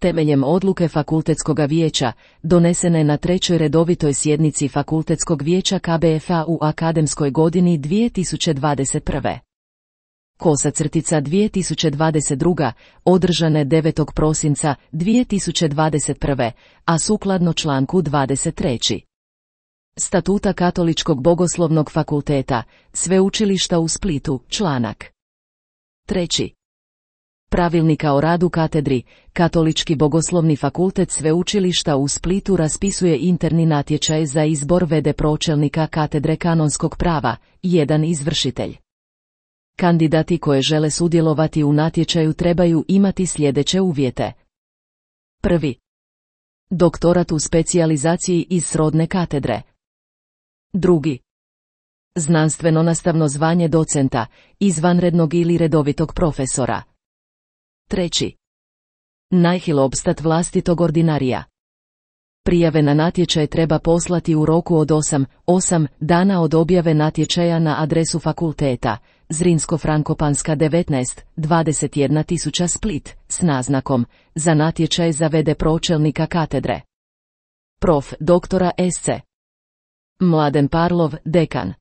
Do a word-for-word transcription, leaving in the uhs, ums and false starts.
Temeljem odluke Fakultetskog vijeća, donesene na trećoj redovitoj sjednici Fakultetskog vijeća K B F A u akademskoj godini dvije tisuće dvadeset prve. Kosa crtica dvije tisuće dvadeset druga, održane devetog prosinca dvije tisuće dvadeset prve, a sukladno članku dvadeset tri. Statuta Katoličkog bogoslovnog fakulteta, Sveučilišta u Splitu, članak treći. Pravilnika o radu katedri, Katolički bogoslovni fakultet Sveučilišta u Splitu raspisuje interni natječaj za izbor v d pročelnika katedre kanonskog prava, jedan izvršitelj. Kandidati koje žele sudjelovati u natječaju trebaju imati sljedeće uvjete. Prvi. Doktorat u specijalizaciji iz srodne katedre. Drugi. Znanstveno-nastavno zvanje docenta, izvanrednog ili redovitog profesora. Treći. Najhil obstat vlastitog ordinarija. Prijave na natječaj treba poslati u roku od osam dana od objave natječaja na adresu fakulteta, Zrinsko-Frankopanska devetnaest, dvadeset jedna tisuća Split, s naznakom, za natječaj za v d pročelnika katedre. Prof. doktora S C. Mladen Parlov, dekan.